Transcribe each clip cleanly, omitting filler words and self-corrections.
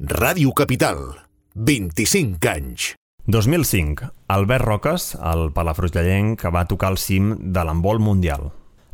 Ràdio Capital, 25 anys. 2005. Albert Roques, el palafrugellenc, va tocar el cim de l'handbol mundial.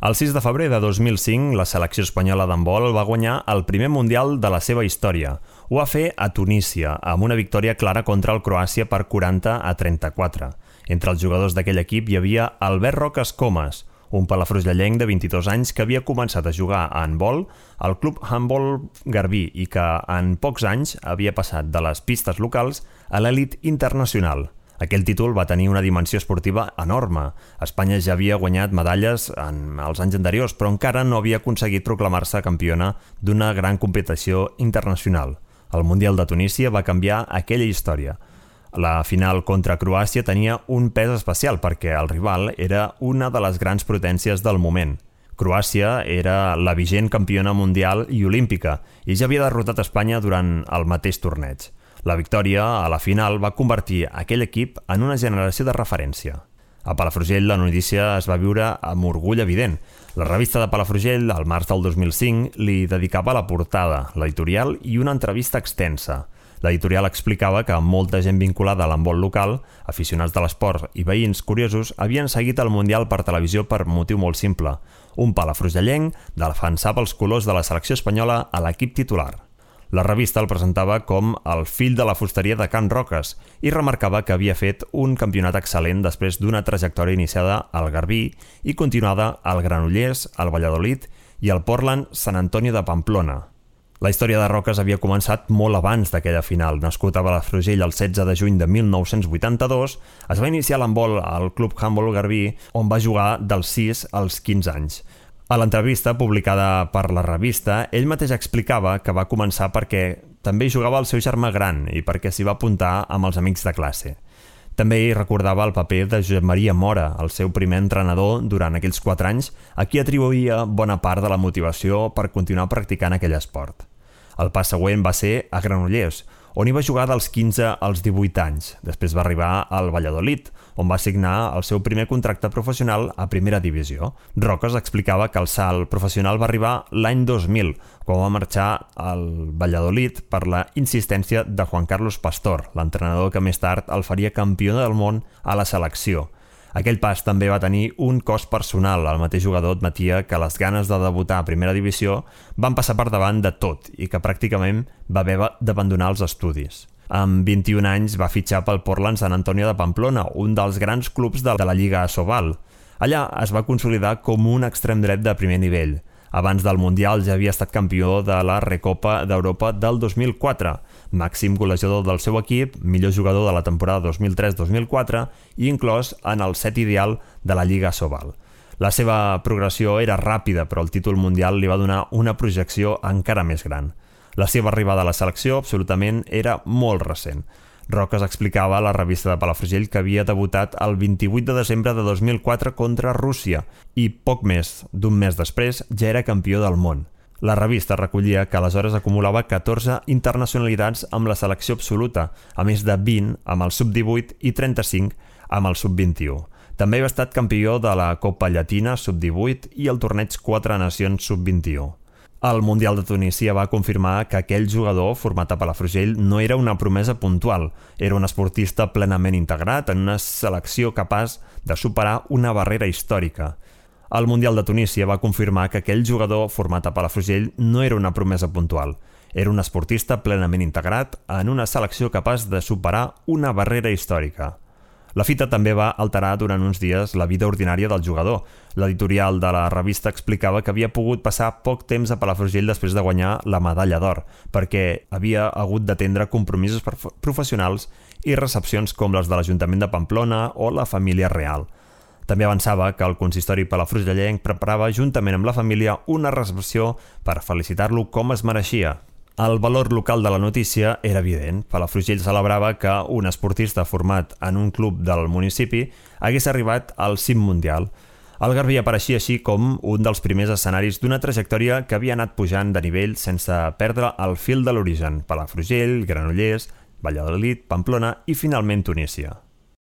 El 6 de febrer de 2005, la selecció espanyola d'handbol va guanyar el primer mundial de la seva història. Ho va fer a Tunísia, amb una victòria clara contra el Croàcia per 40-34. Entre els jugadors d'aquell equip hi havia Albert Roques Comas, un palafrugellenc de 22 anys que havia començat a jugar a handbol al Club Handbol Garbí i que en pocs anys havia passat de les pistes locals a l'elit internacional. Aquell títol va tenir una dimensió esportiva enorme. Espanya ja havia guanyat medalles en els anys anteriors, però encara no havia aconseguit proclamar-se campiona d'una gran competició internacional. El Mundial de Tunísia va canviar aquella història. La final contra Croàcia tenia un pes especial perquè el rival era una de les grans potències del moment. Croàcia era la vigent campiona mundial i olímpica i ja havia derrotat Espanya durant el mateix torneig. La victòria a la final va convertir aquell equip en una generació de referència. A Palafrugell la notícia es va viure amb orgull evident. La revista de Palafrugell, al març del 2005, li dedicava la portada, l'editorial i una entrevista extensa. L'editorial explicava que molta gent vinculada a l'handbol local, aficionats de l'esport i veïns curiosos, havien seguit el Mundial per televisió per motiu molt simple. Un palafrugellenc defensava els colors de la selecció espanyola a l'equip titular. La revista el presentava com el fill de la fusteria de Can Roques i remarcava que havia fet un campionat excel·lent després d'una trajectòria iniciada al Garbí i continuada al Granollers, al Valladolid i al Portland Sant Antonio de Pamplona. La història de Roques havia començat molt abans d'aquella final. Nascut a Palafrugell el 16 de juny de 1982, es va iniciar l'handbol al Club Handbol Garbí, on va jugar dels 6 als 15 anys. A l'entrevista publicada per la revista, ell mateix explicava que va començar perquè també hi jugava el seu germà gran i perquè s'hi va apuntar amb els amics de classe. També hi recordava el paper de Josep Maria Mora, el seu primer entrenador durant aquells 4 anys, a qui atribuïa bona part de la motivació per continuar practicant aquell esport. El pas següent va ser a Granollers, on hi va jugar dels 15 als 18 anys. Després va arribar al Valladolid, on va signar el seu primer contracte professional a primera divisió. Roques explicava que el salt professional va arribar l'any 2000, quan va marxar al Valladolid per la insistència de Juan Carlos Pastor, l'entrenador que més tard el faria campió del món a la selecció. Aquell pas també va tenir un cost personal. El mateix jugador admetia que les ganes de debutar a primera divisió van passar per davant de tot i que pràcticament va haver d'abandonar els estudis. Amb 21 anys va fitxar pel Portland Sant Antonio de Pamplona, un dels grans clubs de la Lliga Asobal. Allà es va consolidar com un extrem dret de primer nivell. Abans del Mundial ja havia estat campió de la Recopa d'Europa del 2004, màxim golejador del seu equip, millor jugador de la temporada 2003-2004 i inclòs en el set ideal de la Lliga Asobal. La seva progressió era ràpida, però el títol mundial li va donar una projecció encara més gran. La seva arribada a la selecció absolutament era molt recent. Roques explicava a la revista de Palafrugell que havia debutat el 28 de desembre de 2004 contra Rússia i poc més d'un mes després ja era campió del món. La revista recollia que aleshores acumulava 14 internacionalitats amb la selecció absoluta, a més de 20 amb el sub-18 i 35 amb el sub-21. També havia estat campió de la Copa Llatina sub-18 i el torneig 4 Nacions sub-21. El Mundial de Tunísia va confirmar que aquell jugador format a Palafrugell no era una promesa puntual, era un esportista plenament integrat en una selecció capaç de superar una barrera històrica. El Mundial de Tunísia va confirmar que aquell jugador format a Palafrugell no era una promesa puntual, era un esportista plenament integrat en una selecció capaç de superar una barrera històrica. La fita també va alterar durant uns dies la vida ordinària del jugador. L'editorial de la revista explicava que havia pogut passar poc temps a Palafrugell després de guanyar la medalla d'or, perquè havia hagut d'atendre compromisos professionals i recepcions com les de l'Ajuntament de Pamplona o la família real. També avançava que el consistori palafrugellenc preparava juntament amb la família una recepció per felicitar-lo com es mereixia. El valor local de la notícia era evident. Palafrugell celebrava que un esportista format en un club del municipi hagués arribat al cim mundial. El Garbí apareixia així com un dels primers escenaris d'una trajectòria que havia anat pujant de nivell sense perdre el fil de l'origen. Palafrugell, Granollers, Valladolid, Pamplona i finalment Tunísia.